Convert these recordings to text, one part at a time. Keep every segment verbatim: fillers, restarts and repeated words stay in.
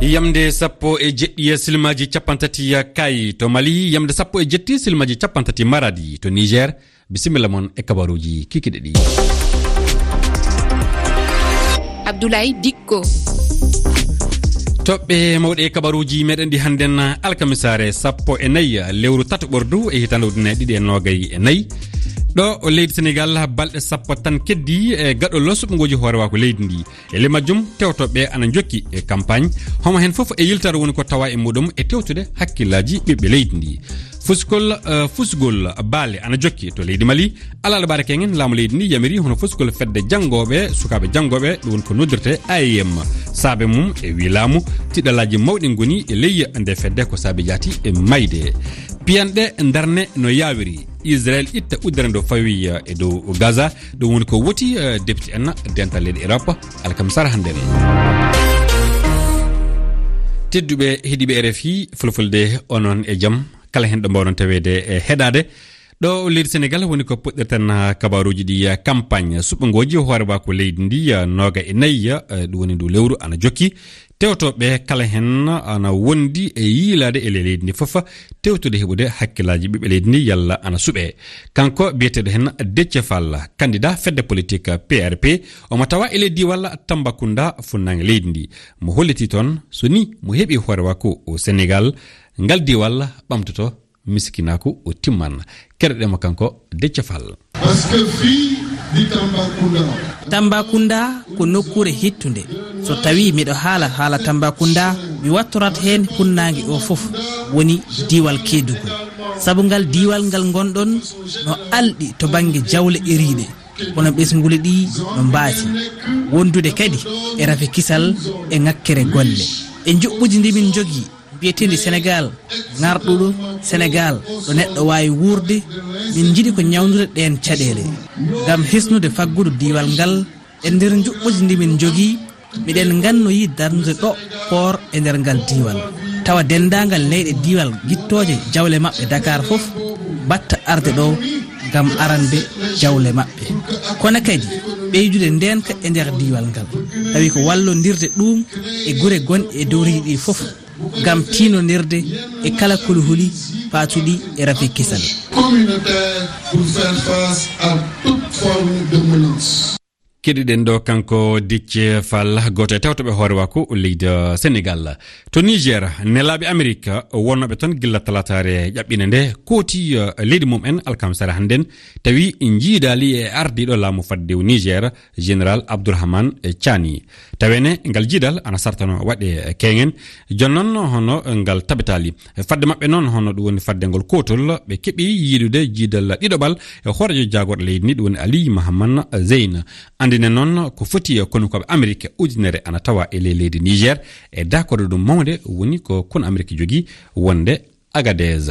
Yamde sappo e jeɗɗi silmaaji cappanɗe tati Kaayi to Mali, yamde sappo e jeɗɗi silmaaji cappanɗe tati Maradi to Niger. Bisimilla mon e kabaruuji kikiɗe ɗi. Abdoulaye Dikko. Toɓɓe mawɗe e kabaruuji meɗen ɗi hannden alkamisaare sappo e nayi lewru tato ɓordu e hitaande ujunere ɗiɗi e noogay e nayi. Ɗo o leydi Senegal, balɗe sappo tan keddi e gaɗol suɓngooji hoorewaaku leydi ndi. E ley majjum, tewtooɓe ana njokki e campagne. Homo heen fof e yiltare woni ko tawa e muɗum e tewtude hakkillaaji ɓiɓɓe leydi ndi. Fuskol, eh, fusgol baale ana jokki to leydi Mali. Alaa ɗo ɓaade kengen, laamu leydi ndi yamiri hono fuskol fedde janngooɓe, sukaaɓe janngooɓe, ɗum woni ko noddirte A E M. Saabe mum e wii laamu, tiɗalaaji mawɗi ngoni e ley nde fedde ko saabe jaati e mayde. Piyanɗe ndarne no yaawiri. Israel itta uddere ndo fawi, eh, e dow Gaza. Ɗum woni ko woti, eh, député en dental leyɗe Europe alkamisara hannden. Tedduɓe heɗiiɓe R F I Fulfulde, onon e jam, kala heen ɗo mbawɗon taweede e heɗaade. Ɗo leydi Senegal woni ko puɗɗirten, eh, kabaruuji ɗi, eh, campagne suɓngooji hoorewaaku leydi ndi, eh, nooga e nayi, eh, ɗum woni ndu lewru ana jokki. Tewtooɓe kala heen ana wondi e yiilaade e ley leydi ndi fof, tewtude heɓude hakkillaaji ɓiɓɓe leydi ndi yalla ana suɓee. Kanko biyeteeɗo heen Déthié Fall, candidat fedde politique P R P, omo tawa e ley diiwal Tambacounda, funnaange leydi ndi. Mo holliti toon, so ni mo heɓi hoorewaaku Senegal, ngal diiwal ɓamtoto miskinaaku o timman. Keɗoɗen mo kanko Déthié Fall. Parce que fii di Tambacounda. Tambacounda ko nokkuure hittunde. So tawii miɗo haala haala Tambacounda, mi wattorat heen funnaange o fof, woni diiwal Kédougou. Sabu ngal diiwal ngal ngonɗon no alɗi to bannge jawle eriiɗe, kono ɓesnguuli ɗi no mbaasi. Wondude kadi e rafi kisal e ŋakkere golle. E njuɓɓuuji ndi min njogii, mbiyeteendi Senegal, ŋarɗuɗo Senegal, ɗo neɗɗo waawi wuurde, min njiɗi ko ñawndude ɗeen caɗeele. Ngam hisnude faggudu diiwal ngal, e nder njuɓɓuuji ndi min njogii, miɗen ngannoyi darnude ɗo koor e nder ngal diiwal. Tawa denndaangal leyɗe diiwal gittooje jawle maɓɓe Dakar fof, mbaɗta arde ɗo ngam arande jawle maɓɓe. Kono kadi ɓeydude ndeenka e nder diiwal ngal, tawi ko wallondirde ɗum e gure gonɗe e dowriiɗi ɗi fof, ngam tiinondirde e kala kuluhuli paatuɗi e rafi kisal. Communautaire pour faire face à toute forme de menace. Keɗiɗen ɗo kanko Déthié Fall, gooto e tewtoɓe hoorewaaku leydi Senegal. To Niger, nelaaɓe Amerik wonnooɓe toon gilla talaataare ƴaɓɓiinde nde kooti, eh, leydi mum en alkamisara hannden, tawi njiidaali e ardiiɗo laamu faddewu Niger, Général Abdourahmane Tchiani. Tawene ngal jiidal ana sartano waɗe kengen. Jooni noon hono ngal tabitaali. Fadde maɓɓe noon hono ɗum woni fadde ngol kootol, ɓe keɓi yiidude jiidal ɗiɗoɓal e hooreejo jaagorɗo leydi ndi, ɗum woni Ali Mahaman Zeyn. Anndine noon ko foti e konukooɓe Amerik ujunere ana tawa e ley leydi Niger e daakorde ɗum mawnde woni ko konu Amerik jogii wonde Agadez.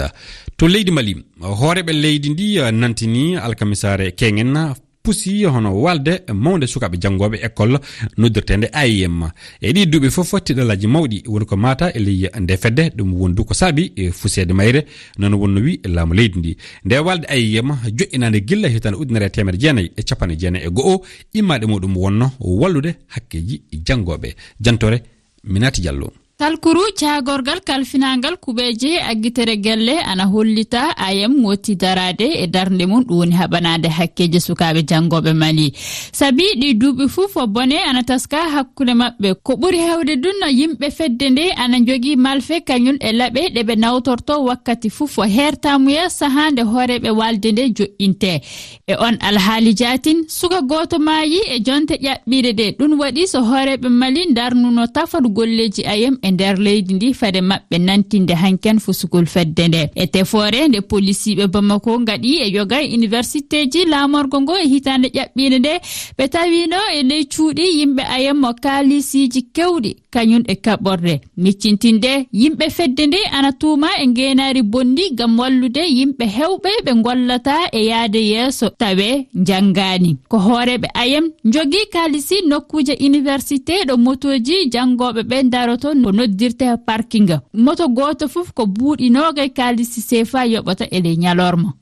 To leydi Mali, hooreeɓe leydi ndi, eh, nantini alkamisaare kengen pusi hono walde mawnde sukaaɓe janngooɓe école noddirteende A I M. E ɗii duuɓi fof, tiɗalaaji mawɗi woni ko maata e ley nde fedde, ɗum wondu ko saabi e fuseede mayre, noon wonno wi laamu leydi ndi. Nde walde A I M joƴƴinaande gilla hitaande ujunere e teemedde jeenayi e capanɗe jeenayi e go'o, immaade muɗum wonno wallude hakkeeji janngooɓe. Jantore Minati Diallo. Talkuru caagorgal kalfinaangal kuɓeeje aggitere gelle ana hollita A I M woti daraade e darnde mum, ɗum woni haɓanaade hakkeeji sukaaɓe janngooɓe Mali. Sabi ɗi duuɓi fof ko bone ana taska hakkunde maɓɓe. Ko ɓuri heewde ɗum no yimɓe fedde nde ana njogii malfe kañum e laɓe ɗe ɓe nawtorto wakkati fof. Heertaamuya sahaa nde hooreeɓe walde nde joƴƴinte. E on alhaali jaatin, suka gooto maayi e jonte ƴaɓɓiiɗe ɗe. Ɗum waɗi so hooreeɓe Mali ndarnuno tafal golleeji A I M e nder leydi ndi fade maɓɓe nantinde hanken fusugol fedde nde. E tefoore nde polisiiɓe Bamako ngaɗi e yoga e universitéji laamorgo ngo e hitaande ƴaɓɓiinde nde, ɓe tawino e ley cuuɗi yimɓe A I M mo kaalisiiji kewɗi, kañum e kaɓorɗe. Miccintinde, yimɓe fedde nde ana tuuma e ngeenaari bonndi ngam wallude yimɓe heewɓe ɓe ngollata e yahde yeeso tawe njanngaani. Ko hooreeɓe A I M njogii kaalisi nokkuuje université ɗo motooji janngooɓe ɓe ndaroto ko noddirte parking. Moto gooto fof ko buuɗi noogay kaalisi sefa yoɓata e ley ñalorma.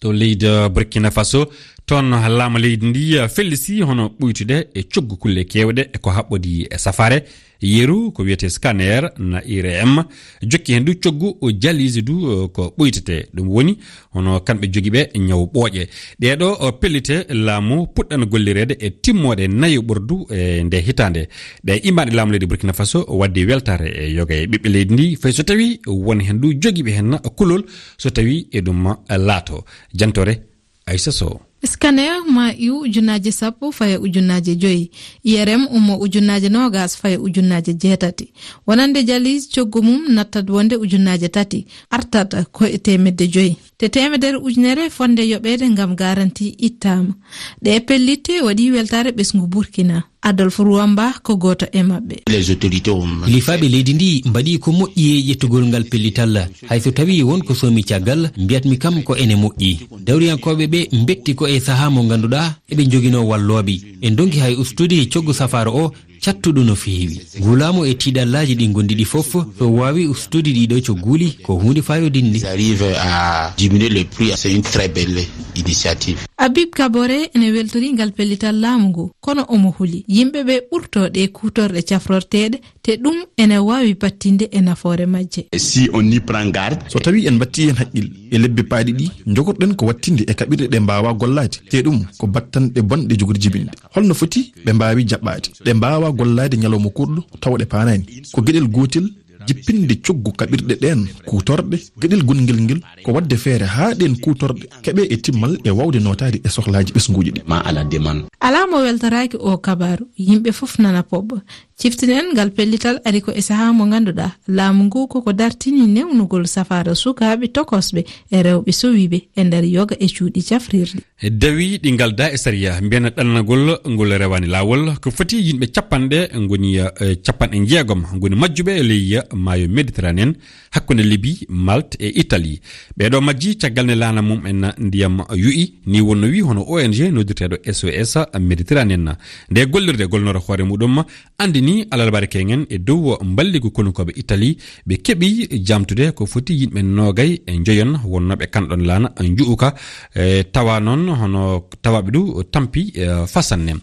To leydi Burkina Faso, Toon, laamu leydi ndi fellisi hono ɓuytude e coggu kulle keewɗe e ko haɓɓodi e safaare. Yeru ko wiyetee scanner na I R M, jokki heen du coggu o dialyse du, eh, ko ɓuytetee. Ɗum woni hono kamɓe jogiiɓe ñaw ɓooƴe. Ɗee ɗoo, eh, pellite laamu puɗɗan gollireede e timmoode nayo ɓurdu e nde hitaande. Ɗe immaaɗe laamu leydi Burkina Faso waddi weltaare e yoga e ɓiɓɓe leydi ndi, fay so tawii won heen du jogiiɓe heen kulol so tawii eɗum laato. Jantoore Aissa Sow. Scanner ma iw ujunnaaje sappo faya ujunnaaje joyi, I R M ummo ujunnaaje noogas faya ujunnaaje jeetati. Wonande dialyse coggu mum nattat wonde ujunnaaje tati, artat ko e teemedde joyi. Te teemedere ujunere fonde yoɓeede ngam garanti ittaama. Ɗe pellitte waɗi weltaare ɓesngu Burkina. Adolphe Ruwamba ko gooto e maɓɓe. Les autorités ont Lifaaɓe leydi ndi mbaɗi ko moƴƴi e ƴettugol ngal pellital. Hay so tawii won ko soomi caggal, mbiyatmi kam ko ene moƴƴi. Dawriyankooɓe ɓe mbetti ko e sahaa mo ngannduɗaa eɓe njoginoo wallooɓe. En ndonki hay ustude coggu safaara o cattuɗo no feewi. Ngulaamu e tiiɗallaaji ɗi ngondi ɗi fof, so waawi ustude ɗiɗo cogguuli, ko huunde faayodinde. Ils arrivent à diminuer le prix, c'est une très belle initiative. Habib Kabore ene weltori ngal pellital laamu ngu, kono omo huli yimɓe ɓe ɓurto ɗe kuutorɗe cafrorteeɗe, te ɗum ene waawi battinde e nafoore majje. Si on y prend garde. So tawii en mbattii heen haqqil e lebbi paaɗi ɗi, njogorɗen ko wattinde e kaɓirɗe ɗe mbaawa gollaade, te ɗum ko battanɗe bonɗe jogori jibinde. Holno foti ɓe mbaawi jaɓɓaade? Ɗe mbaawa gollaade ñalawma kurɗo tawa ɗe paanaani. Ko geɗel gootel jippinde coggu kaɓirɗe ɗeen kuutorɗe, geɗel gonngel ngel ko waɗde feere haa ɗeen kuutorɗe keɓe e timmal e waawde nootaade e sohlaaji ɓesnguuji ɗi. Ma à la demande. Alaa mo weltoraaki oo kabaaru, yimɓe fof nana poɓɓa. Ciftinen ngal pellital ari ko e sahaa mo ngannduɗaa laamu ngu koko dartini newnugol safaara sukaaɓe tokosɓe e rewɓe sowiiɓe e nder yoga e cuuɗi cafrirɗi. Dawi ɗi ngalda e sariya, mbiyen ɗannagol ngol rewaani laawol. Ko foti yimɓe capanɗe ngoni, eh, capanɗe jeegom ngoni majjuɓe e ley maayo Méditerranée, hakkunde Libi, Malte e Italie. Ɓeeɗo majji caggal nde laana mum en ndiyam yu'i, ni wonno wi hono O N G noddirteeɗo S O S Méditerranée. Nde gollirde golnoro hoore muɗum anndini alarbaare keñen e dow mballigu konukooɓe Italie, ɓe keɓi jamtude ko foti yimɓe noogay e njoyon wonnooɓe kanɗon laana nju'uka, e tawa noon hono tawaaɓe du tampi, e, fasanne.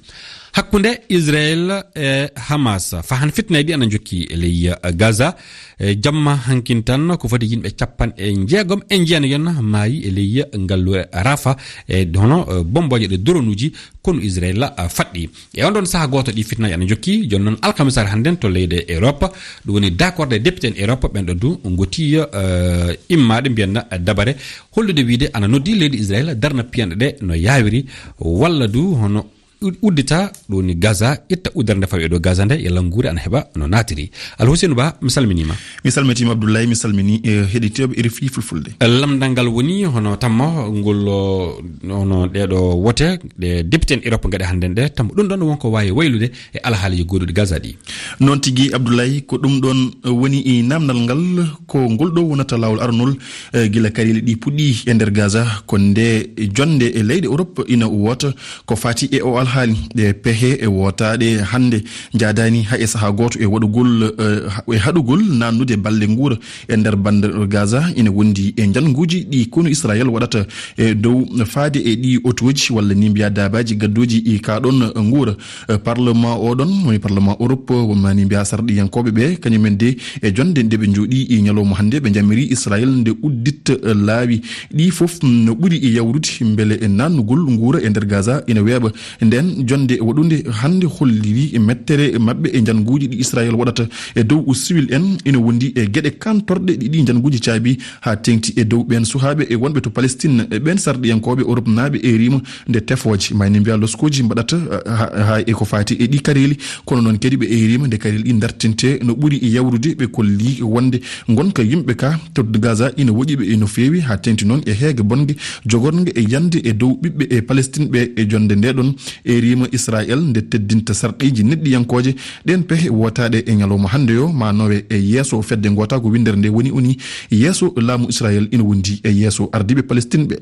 Hakkunde Israel e Hamas, fahan fitnaaji ɗi ana jokki e ley, e, Gaza. E jamma hankin tan, ko foti yimɓe capanɗe jeegom e jeenayon maayi e ley ngalluure Rafa, e hono, e, bombooje ɗe dronuuji konu Israel, a, faɗɗi. E on ɗon saha gooto ɗi fitnaaji ana jokki, jooni noon alkamisaare hannden to leyɗe Europe, ɗum woni dakorde député en Europe, ɓen ɗo du ngoti, e, immaade mbiyanna dabare hollude wiide ana noddi leydi Israel darna piyanɗe ɗe no yaawiri, walla du hono u-, uddita ɗo ni Gaza, itta uddere nde fawi e dow Gaza nde, yalla nguure ana heɓa no naatiri. Al Hussein Ba, mi salminiima. Mi salmitiima Abdoulaye, mi salmini, eh, heɗitooɓe R F I Fulfulde. Lamndal ngal woni hono tammo ngol, o, hono ɗeeɗo wote, ɗe député en Europe ngaɗi hannden ɗe, tammo ɗum ɗon wonko waawi waylude e alhaali goɗɗuɗi Gaza ɗi. Noon tigi Abdoulaye, ko ɗum ɗon woni e namdal ngal, ko ngol ɗo wonata laawol aranol, eh, gila kareeli ɗi puɗɗi e nder Gaza, ko nde jonnde e leyɗe Europe ina woota ko fati e o alhaali. Ɗe pehe e wootaaɗe hannde njaadaani hay e sahaa gooto e waɗugol, eh, ha-, e haɗugol naannude balle nguura e nder bande Gaza ina wondi e njannguuji ɗi konu Israel waɗata e dow faade e ɗi otooji walla ni mbiya daabaaji gadduuji e kaa ɗon nguura. Eh, parlement oɗon woni parlement Europe, wonmani mbiya sarɗiyankooɓe ɓe, kañumen de e jonnde nde ɓe njooɗi e ñalawma hannde, ɓe njamiri Israel nde udditta, eh, laawi ɗi fof no ɓuri e yawrude mbele e naannugol nguura e nder Gaza ina weeɓa. Nden jonnde waɗunde hannde holliri e mettere maɓɓe e njannguuji ɗi Israel waɗata e dow civil en ina wondi e geɗe kantorɗe ɗi ɗi njannguuji caabi haa teŋti e dow ɓeen suhaaɓe e wonɓe to Palestine, e ɓeen sarɗiyankooɓe Europe naaɓe e rima nde tefooje, mayni mbiya loskooji mbaɗata, eh, ha, ha e ko faati e ɗi kareeli, kono noon kadi ɓe e rima nde kareeli ɗi dartinte no ɓuri e yawrude, ɓe kolli wonde ngonka yimɓe ka to Gaza ina woƴi ɓe e no feewi, haa teŋti noon e heege bonge jogornge e yande e dow ɓiɓɓe e Palestine ɓe e jonnde nde ɗon e rima Israel nde teddinta sarɗiiji neɗɗiyankooje. Ɗeen pehe wootaaɗe e ñalawma hannde yo ma nowe e yeeso fedde ngoota ko winndere nde woni oni yeeso laamu Israel ina wondi e yeeso ardiiɓe Palestine ɓe.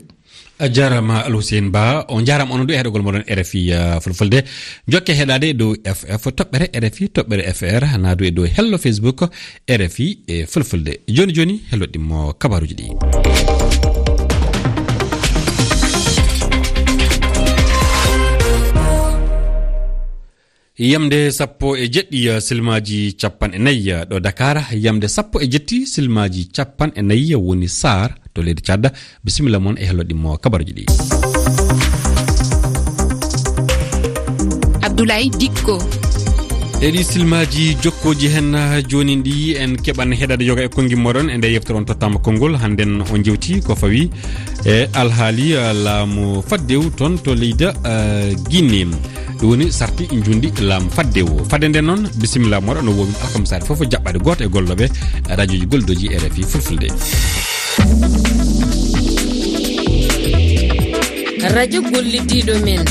A jaaraama Al Hussein Ba, on njaaraama onon du e heɗogol moɗon R F I, uh, Fulfulde. Jokke heɗaade e dow F F toɓɓere R F I toɓɓere F R, naa du e dow hello Facebook R F I e Fulfulde. Jooni jooni hello ɗimmo kabaruuji ɗi. Yamde sappo e jeɗɗi, eh, silmaaji capanɗe nayi, eh, ɗo Dakar, yamde sappo e jetti silmaaji capanɗe nayi woni Saar to leydi Tchad. Bisimilla mon e hello ɗimmo kabaruji ɗi. Abdoulaye Dikko. E ɗi silmaaji jokkooji hen, eh, jooni ɗi en keɓan heɗaade yoga e konngi moɗon e nde yeftere on tottama konngol. Hannden on jewti ko fawi e alhaali, eh, laamu faddewu toon to leydi, eh, Guinée. Ɗum woni sarti njundi laamu faddewu. Fadde nden noon, bisimilla moɗo no wowi alkamsaare fof jaɓɓaade gooto e gollooɓe radioji goldoji R F I Fulfulde. Radio gollidiiɗo men.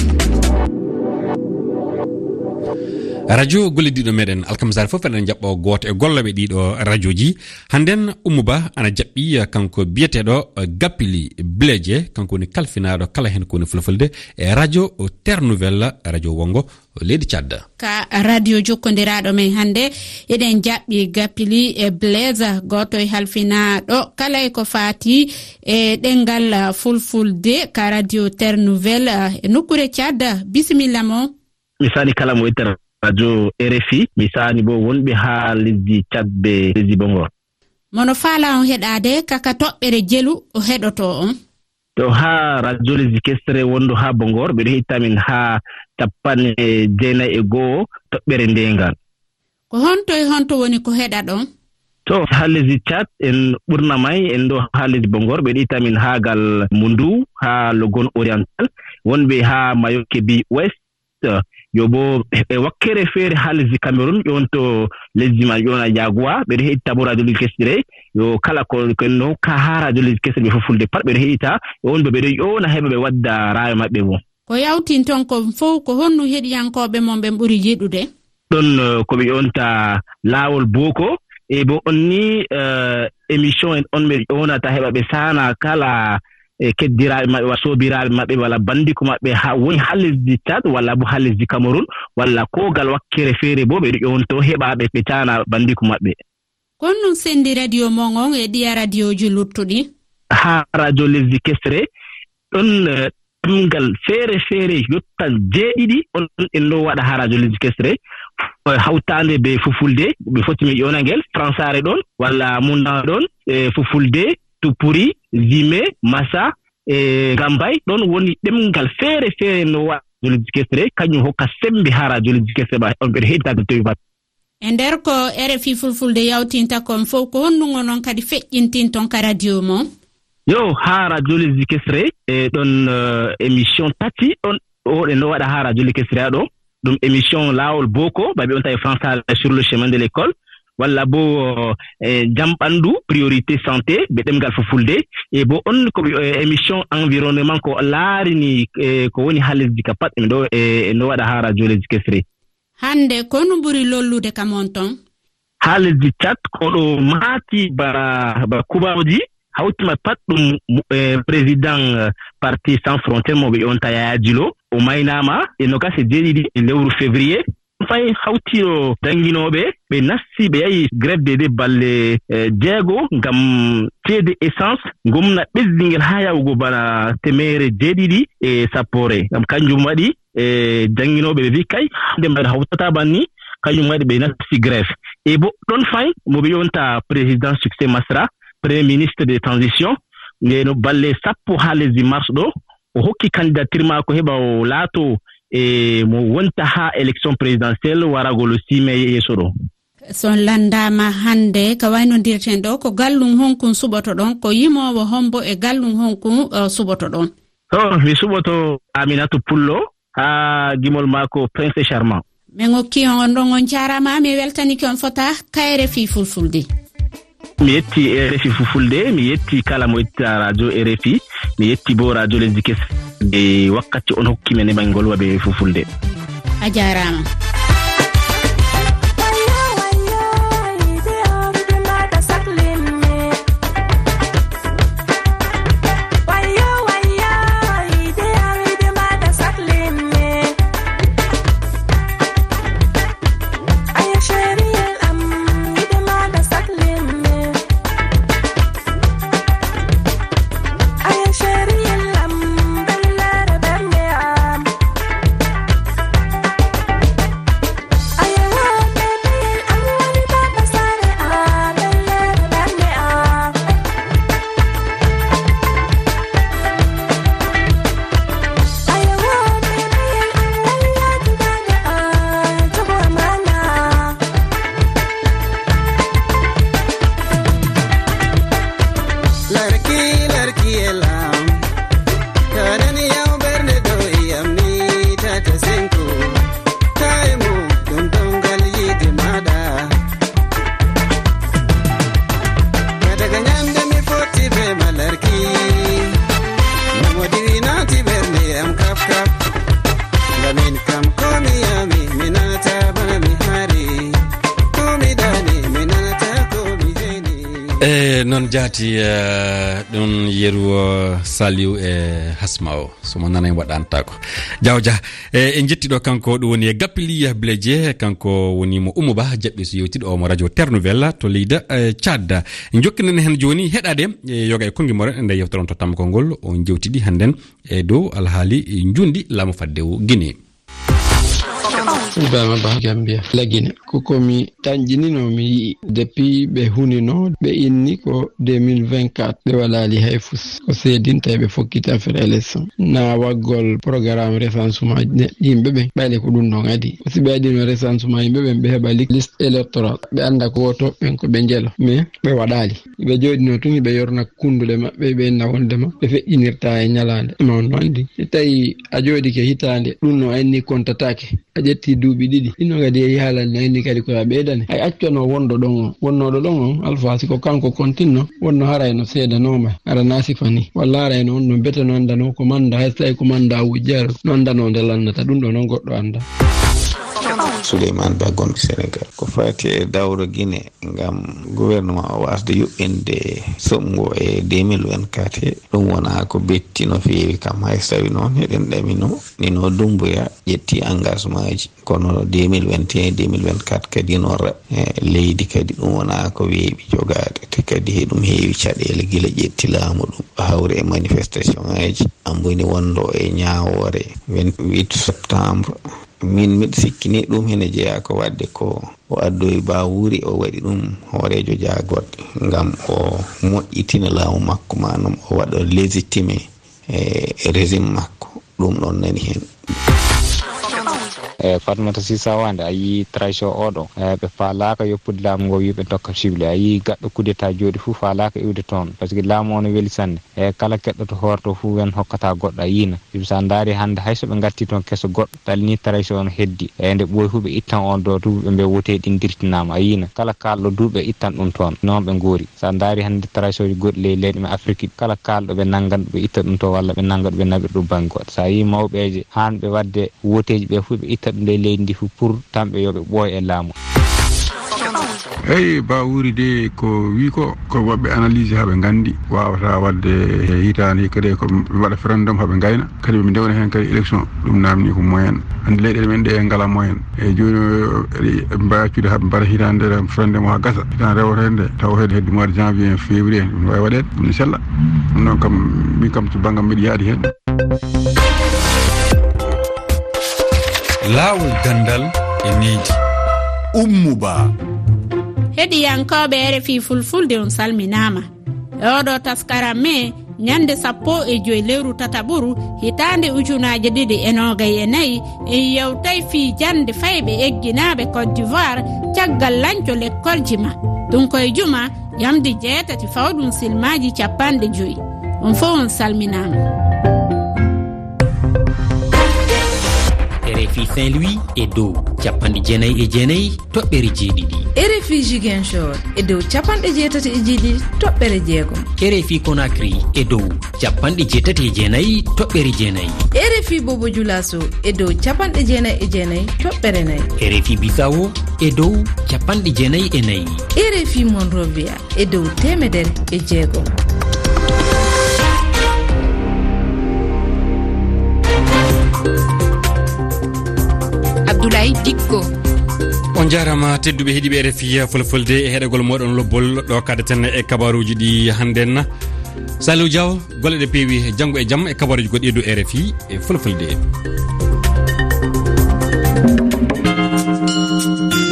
Radio gollidiiɗo meɗen, alkamsaare fof eɗen jaɓɓo gooto e gollooɓe ɗiɗo radioji. Hannden Oumou Ba ana jaɓɓi, eh, kanko biyeteeɗo, eh, Gapili Bleje, kanko woni kalfinaaɗo kala heen ko woni fulfulde e radio Terre Nouvelle, radio wonngo leydi Tchad. Ka radio jokkondiraaɗo men hannde, eɗen jaɓɓi Gapili e Blaise, gooto e halfinaaɗo kala e ko faati e ɗemngal fulfulde ka radio Terre Nouvelle, eh, e nokkuure Tchad. Bisimilla mo. Mi saani kala mo ittata radio R F I, mi saani bo wonɓe haa lesdi Tchad be lesdi Bongor. Mono faala on heɗaade kaka toɓɓere jelu o heɗoto on. To haa radio lesdi kesre wondu haa Bongor, ɓe ɗo heɗita min haa capanɗe jeenayi e go'o toɓɓere ndeengal. Ko honto e honto woni ko heɗaɗon? To haa lesdi Tchad, en ɓurna may, en ɗo haa lesdi Bongor, ɓe ɗo heɗita min haa gal Mundu, haa Logon Oriental, wonɓe haa Mayotte bi Ouest, yo bo e wakkere feere haa lesdi Cameroun, ƴoonto lesdi man ƴoona Yagua, ɓe ɗo heɗita bo radio lesdi kesre, yo kala ko, ko en no hokka haa radio lesdi kesre ɓe fulfulde pat ɓe ɗo heɗita, yo on bo ɓe ɗo ƴoona heɓa ɓe wadda raayo maɓɓe bo. Ko yawtin ton kon fow, ko honno heɗiyankooɓe mon ɓen ɓuri yiɗude? Ɗon, eh, ko ɓe ƴoonta Laawol Booko, e bo on ni, eh, émission en on ɓe ƴoonata heɓa ɓe saana kala e keddiraaɓe maɓɓe, walla soobiraaɓe maɓɓe, walla banndiiko maɓɓe, haa woni haa lesdi Tchad, walla bo haa lesdi Cameroun, walla ko gal wakkere feere bo, ɓe ɗo ƴoonto heɓa ɓe, ɓe caana banndiiko maɓɓe. Kon non senndi radio mon on e ɗiya radioji luttuɗi? Haa radio lesdi kesre, ɗon, eh, ɗemngal feere feere yottal jeeɗiɗi, on en ɗo waɗa haa radio lesdi kesre, eh, hawtaande be fulfulde, ɓe foti mi ƴoona ngel, fransaare ɗon, walla mundaŋ ɗon, eh, fulfulde, tupuri, zime, masa, e Gambay, ɗon woni ɗemngal feere feere no waɗa radio lesdi kesre, kañum hokka semmbe haa radio lesdi kesre ba on ɓe heɗitaade tewi bat. E nder ko R F I Fulfulde yawtinta kon fow, ko honɗum onon kadi feƴƴintinton ka radio mon? Yo, haa radio lesdi kesre, e ɗon, eh, émission tati, ɗon o ɗe no waɗa haa radio lesdi kesre ɗo. Ɗum émission Laawol Booko, ba ɓe on tawi français sur le chemin de l'école, walla bo, eh, Jam Ɓanndu, Priorité Santé, be ɗemngal fulfulde, e bo on ko, eh, émission environnement ko laarini, eh, ko woni haa lesdi ka pat, ɗum ɗo, eh, no waɗa haa radio lesdi kesre. Hannde, ko no ɓuri lollude ka mon ton? Haa lesdi Tchad, ko ɗo maati ba, ba kubaruji, hawti ma pat ɗum, eh, président, eh, Parti Sans Frontières mo ɓe ƴoonta Yaya Djilo, o maynaama e nogas e jeeɗiɗi e lewru février. Fay hawtiiɗo jannginooɓe, ɓe nasti, ɓe yahi grève de, de balle, eh, jeego ngam ceede essence, ngomna ɓesdi ngel haa yahugo bana temeere jeeɗiɗi e sappoore. Ngam kanjum waɗi, e jannginooɓe ɓe mbi kay, hannde mbayɗo hawtata banni, kañum waɗi ɓe nasti grève. E bo ɗon fay, mo ɓe ƴoonta président Succès Masra, premier ministre de transition, nde no balle sappo haa lesdi Mars ɗo, o hokki candidature maako heɓa o laato e mo wonta haa élection présidentielle warago le six mai yeeso ɗo. So on lanndaama hannde, ka waynondirten ɗo, ko gallum honkun suɓotoɗon, ko yimoowo hombo e gallum honkun, eh, suɓotoɗon? To, mi suɓoto Aminata Pullo, haa gimol maako Prince Charmant. Min okki on, on ɗon, on jaaraama, mi weltanike on fota ka R F I Fulfulde. Mi yetti R F I Fulfulde, mi yetti kala mo itta radio R F I, mi yetti bo radio lesdi kesre, e wakkati on hokki men e ɓangol waɓe Fulfulde. A jaaraama. E noon jaati, eh, ɗum yeru, eh, Saliou e Hasma o, so mo nana en waɗantaako. Jawja, eh, en jetti ɗo kanko, ɗum woni e Gappili Bileje, kanko woni mo Oumou Ba, jaɓɓi so yewtiɗo o mo radio Terre Nouvelle to leydi, eh, Tchad. Jokkinen heen jooni heɗaade, eh, yoga e konngi moren e nder yewtere on to tammakol ngol, on jewtidi hannden e dow alhaali njundi laamu faddewu Guinée. Ibrahima Ba, Gambia, Lagine. Ko ko mi tanƴinino, mi yi'i depuis ɓe hunino, ɓe inni ko deux mille vingt-quatre, ɓe waɗaali hay fus. Ko seedinta ɓe fokkiti affaire élection. Na waggol programme recensement ne-, yimɓe ɓen, ɓayde ko ɗum ɗon adi. Ko si ɓe adino recensement yimɓe ɓen, ɓe heɓa li-, liste électorale. Ɓe annda ko woto ɓen ko ɓe njelo. Mais ɓe waɗaali. Ɓe jooɗino tun, ɓe yorna kunnduɗe maɓɓe, ɓe inna wondema ɓe feƴƴinirta e ñalaande. Ma on no anndi, si tawi a jooɗike hitaande, ɗum no anni kontataake. A ƴetti duuɓi ɗiɗi. Ɗin no kadi yehi haalande anni kadi ko a ɓeydane. Ay accano wonɗo ɗon on. Wonnooɗo ɗon on, Alfa, si ko kanko kontinno, wonno haray no seedanooma. Ara na sifa ni. Walla haray no on ɗon bete no anndano ko manda, hay so tawi ko manda wujjaro, no anndano nde lannata. Ɗum ɗo noon goɗɗo annda. Souleymane Ba, gonɗo Sénégal. Ko fati e dawro Guinée, ngam gouvernement o wasde yuɓɓinde soɓngo e deux mille vingt-quatre he, ɗum wona ko betti no feewi kam. Hay so tawi noon eɗen ɗamino, nino Doumbouya ƴetti engagement ji, kono deux mille vingt et un, deux mille vingt-quatre kadi no raɓ-, e leydi kadi ɗum wona ko weeɓi jogaade, te kadi eɗum heewi caɗeele gila ƴetti laamu ɗum, hawri e manifestation ngaji, amboni wonɗo e ñaawoore vingt-huit septembre. Min miɗo sikki ni ɗum hene jeyaa ko waɗde ko o addoyi Bawuri, o waɗi ɗum hooreejo jaagoɗɗe ngam o moƴƴitina laamu makko, maanaam o waɗa légitimer, e, régime makko. Ɗum ɗon nani heen. E, Fatmata Sisa Wande, a yii trahison oɗo. E, ɓe faalaaka yoppude laamu ngo, wiɓe tokka cible. A yii gaɗɗo coup d'état jooɗi fuu faalaaka iwde toon. Parce que laamu o no weli sanne. E, kala keɗɗoto hoore to fuu wen hokkata goɗɗo, a yiina. Sibu so a ndaari hannde hay so ɓe ngatti toon keso goɗɗo, ɗalni trahison on heddi. E, nde ɓooyi fuu ɓe ittan on ɗo duuɓi ɓe mbiya wote ɗin dirtinaama, a yiina. Kala kaalɗo duuɓi ɓe ittan ɗum toon. Noon ɓe ngoori. So a ndaari hannde trahison ji goɗɗi ley leyɗe men Afrique ɗi, kala kaalɗo ɓe nanngan ɓe itta ɗum to walla ɓe nannga ɗum ɓe naɓir ɗum bannge goɗɗo. So a yii mawɓeeje haanɓe waɗde woteeji ɓe fuu ɓe itta ɗum ley leydi ndi fuu pour tan ɓe yo ɓe ɓooy e laamu. Eyi, Bawuri de ko wi ko, ko waɗɓe analyse haa ɓe nganndi, waawata waɗde hitaande hikka de ko ɓe mbaɗa référendum haa ɓe ngayna, kadi ɓe ndewna heen kadi élection, ɗum naamni ko moyen. Hannde leyɗeele men ɗe ngala moyen. Eyi, jooni o, ɓe mbaawi accude haa ɓe mbaɗa hitaande référendum o haa gasa, hitaande rewoto heen nde, tawa heen hedde mois de janvier, février, ɗum waawi waɗeede, ɗum ne sella. Ɗum noon kam, min kam to banngam mbiɗa yaadi heen. Laawol ganndal e nehdi. Ummu Ba. Heɗiyankooɓe R F I Fulfulde, on salminaama. E oɗo taskaram me, ñande sappo e joy lewru tataɓuru, hitaande ujunaaje ɗiɗi e noogay e nayi, en yewtay fii jannde fayɓe egginaaɓe Côte d'Ivoire caggal lanco lekkolji ma. Ɗum koye juma, yamde jeetati fawɗum silmaaji cappanɗe joy. On fof on salminaama. R F I Saint-Louis e dow capanɗe jeenayi e jeenayi toɓɓere jeeɗiɗi. R F I Ziguinchor e dow capanɗe jeetati e jeeɗiɗi toɓɓere jeegom. R F I Conakry e dow capanɗe jeetati e jeenayi toɓɓere jeenayi. R F I Bobo Dioulasso e dow capanɗe jeenayi e jeenayi toɓɓere nayi. R F I Bissau e dow capanɗe jeenayi e nayi. R F I Monrovia e dow teemedere e jeegom. Abdoulaye Dikko. On njaaraama, tedduɓe heɗiiɓe R F I Fulfulde, e heɗagol mooɗon lobbol ɗo kaɗaten e kabaruuji ɗi hannden. Saliou Diaw, golle ɗe peewi, janngo e jam e kabaruuji goɗɗi e dow R F I e Fulfulde.